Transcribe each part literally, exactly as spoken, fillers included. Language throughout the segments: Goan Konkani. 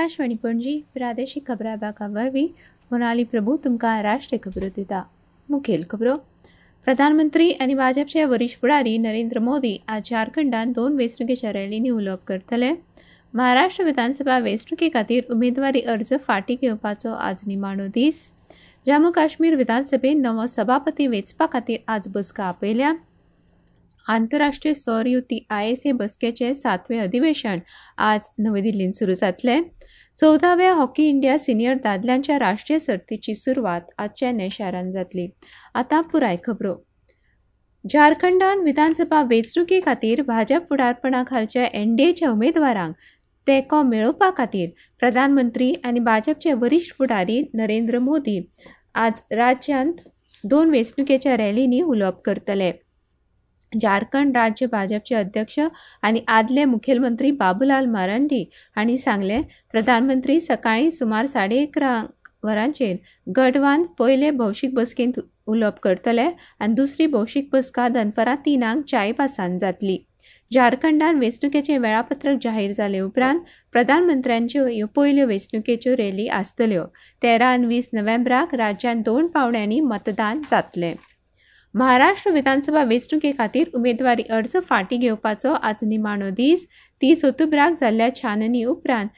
आकाशवाणी पणजी प्रादेशीक खबरां विभागा वरवीं मोनाली प्रभू तुमकां राष्ट्रीय खबरो दिता. मुखेल खबरो. प्रधानमंत्री आनी भाजपचे वरिश्ठ फुडारी नरेंद्र मोदी आज झारखंडात दोन वेंचणुकेच्या रॅलींनी उलोवप करतले. महाराष्ट्र विधानसभा वेंचणुके खातीर उमेदवारी अर्ज फाटीं घेवपाचो आज निमाणो दीस. जम्मू काश्मीर विधानसभेन नवो सभापती वेंचपा खातीर आज बसका आपयल्या. आंतरराष्ट्रीय सौर युती I S A बसकेचें सातवें अधिवेशन आज नवी दिल्लींत सुरू जातलें. चवदाव्या हॉकी इंडिया सिनियर दादल्यांच्या राष्ट्रीय सर्तीची सुरवात आज चेन्नय शारांत जातली. आतां पुराय खबरो. झारखंडान विधानसभा वेंचणुके खातीर भाजप फुडारपणा खालच्या एनडीएच्या उमेदवारांक तेंको मेळोवपा खातीर प्रधानमंत्री आनी भाजपचे वरिश्ठ फुडारी नरेंद्र मोदी आज राज्यांत दोन वेंचणुकेच्या रॅलींनी उलोवप करतले. झारखंड राज्य भाजपचे अध्यक्ष आनी आदले मुखेलमंत्री बाबूलाल मारांडी हांणी सांगलें, प्रधानमंत्री सकाळीं सुमार साडे इकरा वरांचेर गडवान पयले भौशीक बसकेंत उलोवप करतले आनी दुसरी भौशीक बसका दनपरां तिनांक चाईबासान जातली. झारखंडान वेंचणुकेचें वेळापत्रक जाहीर जाले उपरांत प्रधानमंत्र्यांच्यो ह्यो पयल्यो वेंचणुकेच्यो रॅली आसतल्यो. तेरा आनी वीस नोव्हेंबराक राज्यांत दोन पावंड्यांनी मतदान जातलें. महाराष्ट्र विधानसभा वेंचणुके खातीर उमेदवारी अर्ज फाटीं घेवपाचो आज निमाणो दीस. तीस ऑक्टोबराक जाल्ल्या छाननी उपरांत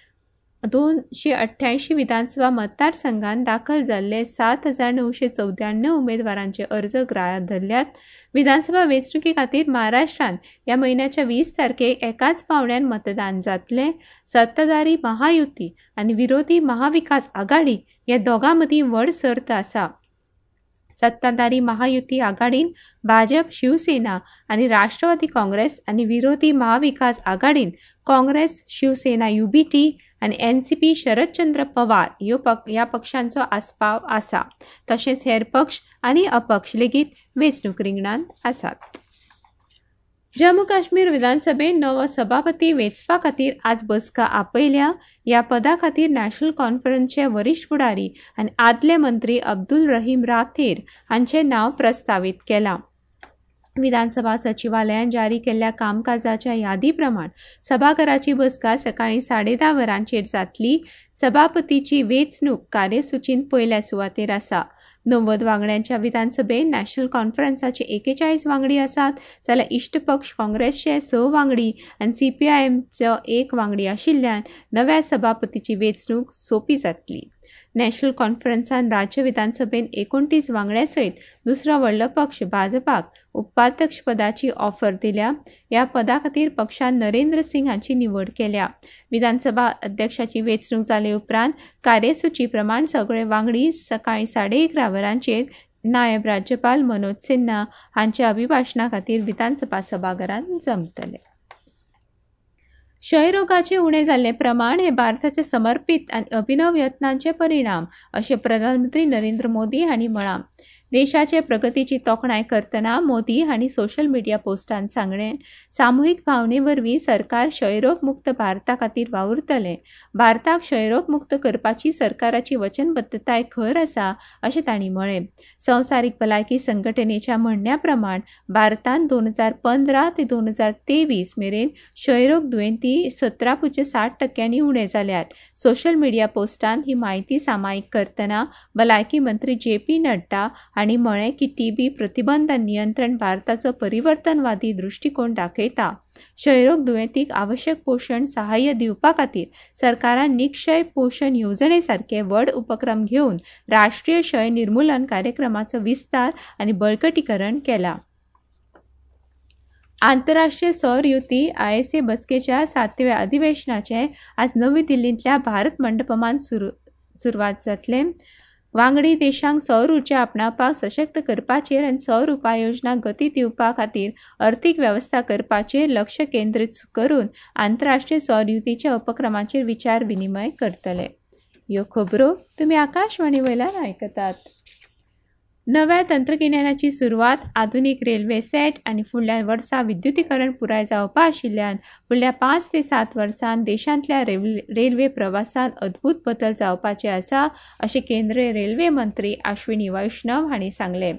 दोनशे अठ्ठ्यायशीं विधानसभा मतदारसंघात दाखल जाल्ले सात हजार णवशे चवद्याण्णव उमेदवारांचे अर्ज ग्राह्य धरल्यात. विधानसभा वेंचणुके खातीर महाराष्ट्रांत ह्या म्हयन्याच्या वीस तारखेक एकाच पावंड्यान मतदान जातलें. सत्ताधारी महायुती आनी विरोधी महाविकास आघाडी ह्या दोगां मदीं व्हड सर्त आसा. सत्ताधारी महायुती आघाडीन भाजप, शिवसेना आनी राष्ट्रवादी काँग्रेस आनी विरोधी महाविकास आघाडीन काँग्रेस, शिवसेना युबीटी आनी N C P Sharadchandra Pawar ह्यो पक ह्या पक्षांचो आस्पाव आसा. तशेंच हेर पक्ष आनी अपक्ष लेगीत वेंचणूक रिंगणांत आसात. जम्मू काश्मीर विधानसभेन नवो सभापती वेंचपा खातीर आज बसका आपयल्या. ह्या पदा खातीर नॅशनल कॉन्फरन्सचे वरिश्ठ फुडारी आनी आदले मंत्री अब्दुल रहीम राथेर हांचें नांव प्रस्तावीत केलां. विधानसभा सचिवालयान जारी केल्ल्या कामकाजाच्या यादी प्रमाण सभाघराची बसका सकाळीं साडे धा वरांचेर जातली. सभापतीची वेंचणूक कार्यसुचींत पयल्या सुवातेर आसा. णव्वद वांगड्यांच्या विधानसभेन नॅशनल कॉन्फरन्साचे एकेचाळीस वांगडी आसात, जाल्यार इश्ट पक्ष काँग्रेसचे स वांगडी आनी सी पी I एमचो एक वांगडी आशिल्ल्यान नव्या सभापतीची वेंचणूक सोंपी जातली. नॅशनल कॉन्फरन्सान राज्य विधानसभेन एकोणतीस वांगड्या सयत दुसरो व्हडलो पक्ष भाजपाक उपाध्यक्षपदाची ऑफर दिल्या. ह्या पदा खातीर पक्षान नरेंद्र सिंग हांची निवड केल्या. विधानसभा अध्यक्षाची वेंचणूक जाले उपरांत कार्यसुची प्रमाण सगळे वांगडी सकाळीं साडे इकरा वरांचेर नायब राज्यपाल मनोज सिन्हा हांच्या अभिभाशणा खातीर विधानसभा सभाघरांत जमतले. क्षयरोगाचे उणें जाल्लें प्रमाण हें भारताचे समर्पीत आनी अभिनव यत्नांचे परिणाम अशें प्रधानमंत्री नरेंद्र मोदी हांणी म्हळां. देशाचे प्रगतीची तोखणाय करतना मोदी हांणी सोशल मिडिया पोस्टांत सांगलें, सामुहीक भावने वरवीं सरकार क्षयरोग मुक्त भारता खातीर वावुरतलें. भारताक क्षयरोग मुक्त करपाची सरकाराची वचनबद्धताय खर आसा अशें तांणी म्हळें. संवसारीक भलायकी संघटनेच्या म्हणण्या प्रमाण भारतांत दोन हजार पंदरा ते दोन हजार तेवीस मेरेन क्षयरोग दुयेंती सतरा पुज्य साठ टक्क्यांनी उणें जाल्यात. सोशल मिडिया पोस्टांत ही म्हायती सामायीक करतना भलायकी मंत्री जे पी नड्डा हांणी म्हळें की टीबी प्रतिबंध आनी नियंत्रण भारताचो परिवर्तनवादी दृश्टिकोण दाखयता. क्षयरोग दुयेंतीक आवश्यक पोशण सहाय्य दिवपा खातीर सरकारान निक्षय पोशण येवजणे सारके व्हड उपक्रम घेवन राष्ट्रीय क्षय निर्मूलन कार्यक्रमाचो विस्तार आनी बळकटीकरण केला. आंतरराष्ट्रीय सौर युती I S A बसकेच्या सातव्या अधिवेशनाचें आज नवी दिल्लींतल्या भारत मंडपमांत सुरू सुरवात जातलें. वांगडी देशांक सौर उर्जा आपणावपाक सशक्त करपाचेर आनी सौर उपाययोजना गती दिवपा खातीर अर्थीक वेवस्था करपाचेर लक्ष केंद्रीत करून आंतरराष्ट्रीय सौर युतीच्या उपक्रमाचेर विचार विनिमय करतले. ह्यो खबरो तुमी आकाशवाणी वयल्यान आयकतात. नव्या तंत्रगिन्यानाची सुरवात, आधुनीक रेल्वे सेट आनी फुडल्या वर्सा विद्युतीकरण पुराय जावपा आशिल्ल्यान फुडल्या पांच ते सात वर्सांत देशांतल्या रेल्वे प्रवासांत अद्भूत बदल जावपाचे आसा अशें केंद्रीय रेल्वे मंत्री अश्विनी वैष्णव हांणी सांगलें.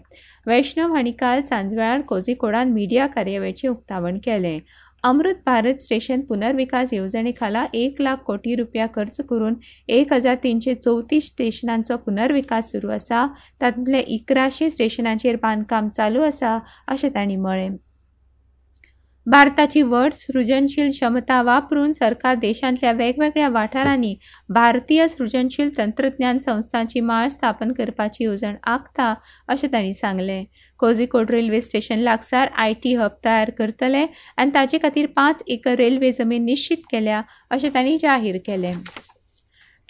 वैष्णव हांणी काल सांजवेळार कोझिकोडान मिडिया कार्यावळीचें उक्तावण केलें. अमृत भारत स्टेशन पुनर्विकास येवजणे खाला एक लाख कोटी रुपया खर्च करून एक हजार तीनशे चवतीस स्टेशनांचो पुनर्विकास सुरू आसा. तातूंतले इकराशे स्टेशनांचेर बांदकाम चालू आसा अशें तांणी म्हळें. भारताची व्हड सृजनशील क्षमता वापरून सरकार देशांतल्या वेगवेगळ्या वाठारांनी भारतीय सृजनशील तंत्रज्ञान संस्थांची माळ स्थापन करपाची येवजण आंखता अशें तांणी सांगलें. कोझिकोड रेल्वे स्टेशन लागसार I T hub तयार करतले आनी ताचे खातीर पांच एकर रेल्वे जमीन निश्चित केल्या अशें तांणी जाहीर केलें.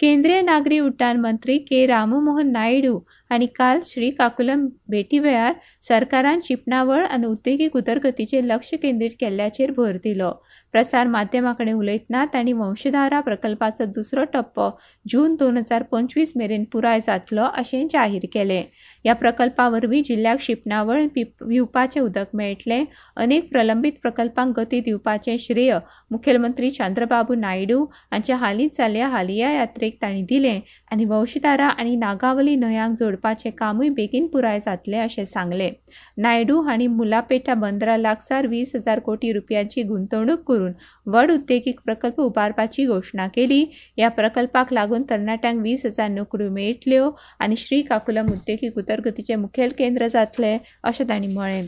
केंद्रीय नागरी उड्डाण मंत्री के राममोहन नायडू हांणी काल श्रीकाकुलम भेटी वेळार सरकारान शिंपणावळ आनी उद्देगीक उदरगतीचेर लक्ष केंद्रीत केल्ल्याचेर भर दिलो. प्रसार माध्यमां कडेन उलयतना तांणी वंशधारा प्रकल्पाचो दुसरो टप्पो जून दोन हजार पंचवीस मेरेन पुराय जातलो अशें जाहीर केलें. ह्या प्रकल्पा वरवीं जिल्ल्याक शिंपणावळ पिवपाचें उदक मेळटलें. अनेक प्रलंबीत प्रकल्पांक गती दिवपाचें श्रेय मुखेलमंत्री चंद्रबाबू नायडू हांच्या हालींच जाल्ल्या हालिया यात्रेक तांणी दिलें आनी वंशधारा आनी नागावली न्हंयांक जोडपाचें कामूय बेगीन पुराय जातलें अशें सांगलें. नायडू हांणी मुलापेटा बंदरा लागसार वीस हजार कोटी रुपयांची गुंतवणूक करून व्हड उद्देगीक प्रकल्प उबारपाची घोशणा केली. ह्या प्रकल्पाक लागून तरणाट्यांक वीस हजार नोकऱ्यो मेळटल्यो आनी श्रीकाकुलम उद्देगीक उदरगतीचें मुखेल केंद्र जातलें अशें तांणी म्हळें.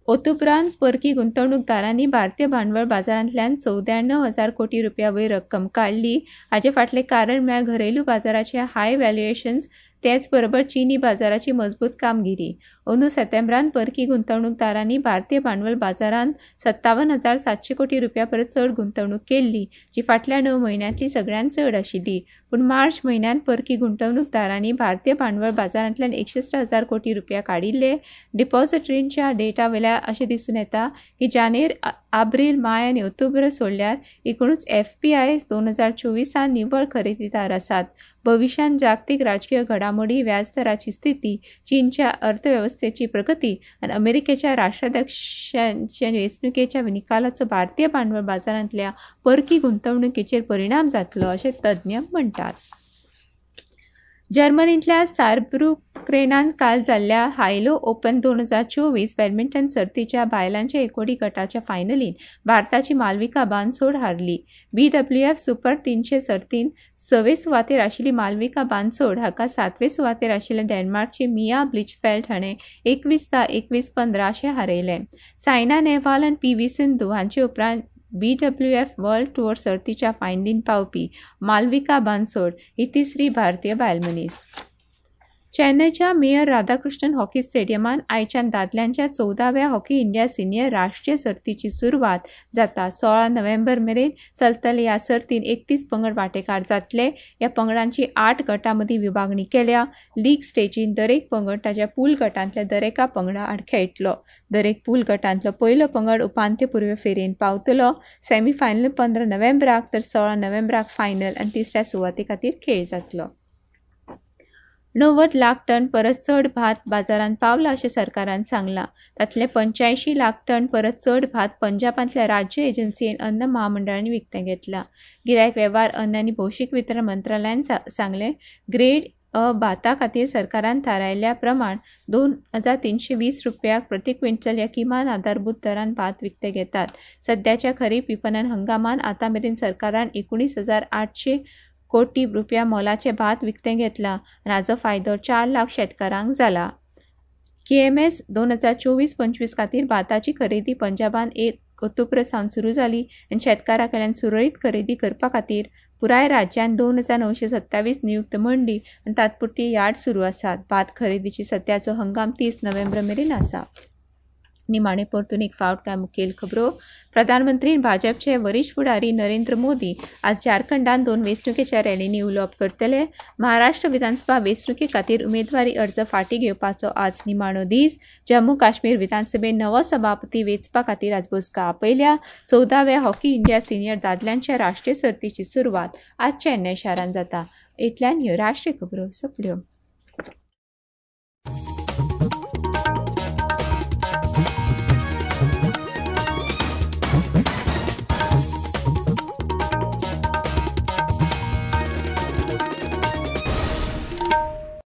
ओतुपरांत परकी गुंतवणूकदारांनी भारतीय भांडवल बाजारांतल्यान चवद्याण्णव हजार कोटी रुपया वयर रक्कम काडली. हाचे फाटलें कारण म्हळ्यार घरेलू बाजाराचे हाय व्हॅल्युएशन्स, तेच बरोबर चीनी बाजाराची मजबूत कामगिरी. अंदू सप्टेंबरांत परकी गुंतवणूकदारांनी भारतीय भांडवल बाजारांत सत्तावन हजार सातशे कोटी रुपया परस चड गुंतवणूक केल्ली, जी फाटल्या णव म्हयन्यांतली सगळ्यांत चड आशिल्ली. पूण मार्च म्हयन्यांत परकी गुंतवणूकदारांनी भारतीय भांडवल बाजारांतल्यान एकसश्ट हजार कोटी रुपया काडिल्ले. डिपॉझिटरींच्या डेटा वेल्यार अशें दिसून येता की जानेर, आब्रील, माय आनी ऑक्टोबर सोडल्यार एकुणूच एफ पी I दोन हजार चोवीसान निव्वळ खरेदीदार आसात. भविश्यांत जागतीक राजकीय घडामोडी, व्याजदराची स्थिती, चीनच्या अर्थवेवस्थेची प्रगती आनी अमेरिकेच्या राष्ट्राध्यक्षांच्या वेंचणुकेच्या निकालाचो भारतीय भांडवल बाजारांतल्या परकी गुंतवणुकीचेर परिणाम जातलो अशें तज्ञ म्हणटात. जर्मनींतल्या सारब्रुक्रेनान काल जाल्ल्या हायलो ओपन दोन हजार चोवीस बॅडमिंटन सर्तीच्या बायलांच्या एकोडी गटाच्या फायनलींत भारताची मालविका बानसोड हारली. बी डब्ल्यू एफ सुपर तीनशे सर्तींत सवे सुवातेर आशिल्ली मालविका बानसोड हाका सातवे सुवातेर आशिल्ल्या डेन्मार्कची मिया ब्लिचफेल्ट हाणें एकवीस धा एकवीस पंदरा अशें हारयलें. सायना नेहवाल आनी पी व्ही सिंधू हांचे उपरांत B W F world tour सर्तीच्या फायनलींत पावपी मालविका बानसोड ही तिसरी भारतीय बायलमनीस. चेन्नयच्या मेयर राधाकृष्णन हॉकी स्टेडियमान आयच्यान दादल्यांच्या चवदाव्या हॉकी इंडिया सिनियर राष्ट्रीय सर्तीची सुरवात जाता. सोळा नोव्हेंबर मेरेन चलतले ह्या सर्तीन एकतीस पंगड वांटेकार जातले. ह्या पंगडांची आठ गटां मदीं विभागणी केल्या. लीग स्टेजीन दरेक पंगड ताच्या पूल गटांतल्या दरेका पंगडा आड खेळटलो. दरेक पूल गटांतलो पयलो पंगड उपांत्यपूर्व फेरयेन पावतलो. सेमीफायनल पंदरा नोव्हेंबराक तर सोळा नोव्हेंबराक फायनल आनी तिसऱ्या सुवाते खातीर खेळ जातलो. णव्वद लाख टन परस चड भात बाजारांत पावला अशें सरकारान सांगलां. तांतले पंच्यायशीं लाख टन परस चड भात पंजाबांतल्या राज्य एजन्सीन अन्न महामंडळान विकतें घेतलां. गिरायक वेव्हार, अन्न आनी भौशीक वितरण मंत्रालयान सांगलें, ग्रेड अ भाता खातीर सरकारान थारायल्ल्या प्रमाण दोन हजार तीनशे वीस रुपयाक प्रति क्विंटल ह्या किमान आधारभूत दरान भात विकतें घेतात. सद्याच्या खरीप विपणन हंगामान आतां मेरेन सरकारान एकुणीस हजार आठशे कोटी रुपया मोलाचें भात विकतें घेतलां आनी हाचो फायदो चार लाख शेतकारांक जाला. के एम एस दोन हजार चोवीस पंचवीस खातीर भाताची खरेदी पंजाबान एक ऑक्टोबर सावन सुरू जाली आनी शेतकारां कडल्यान सुरळीत खरेदी करपा खातीर पुराय राज्यांत दोन हजार णवशे सत्तावीस नियुक्त मंडी आनी तात्पुरती यार्ड सुरू आसात. भात खरेदीची सद्याचो हंगाम तीस नोव्हेंबर मेरेन आसा. निमाणे परतून एक फावट कांय मुखेल खबरो. प्रधानमंत्री भाजपचे वरिश्ठ फुडारी नरेंद्र मोदी आज झारखंडात दोन वेंचणुकेच्या रॅलींनी उलोवप करतले. महाराष्ट्र विधानसभा वेंचणुके खातीर उमेदवारी अर्ज फाटीं घेवपाचो आज निमाणो दीस. जम्मू काश्मीर विधानसभेन नवो सभापती वेंचपा खातीर आज बसका आपयल्या. चवदाव्या हॉकी इंडिया सिनियर दादल्यांच्या राष्ट्रीय सर्तीची सुरवात आज चेन्नय शारांत जाता. इतल्यान ह्यो राष्ट्रीय खबरो सोंपल्यो.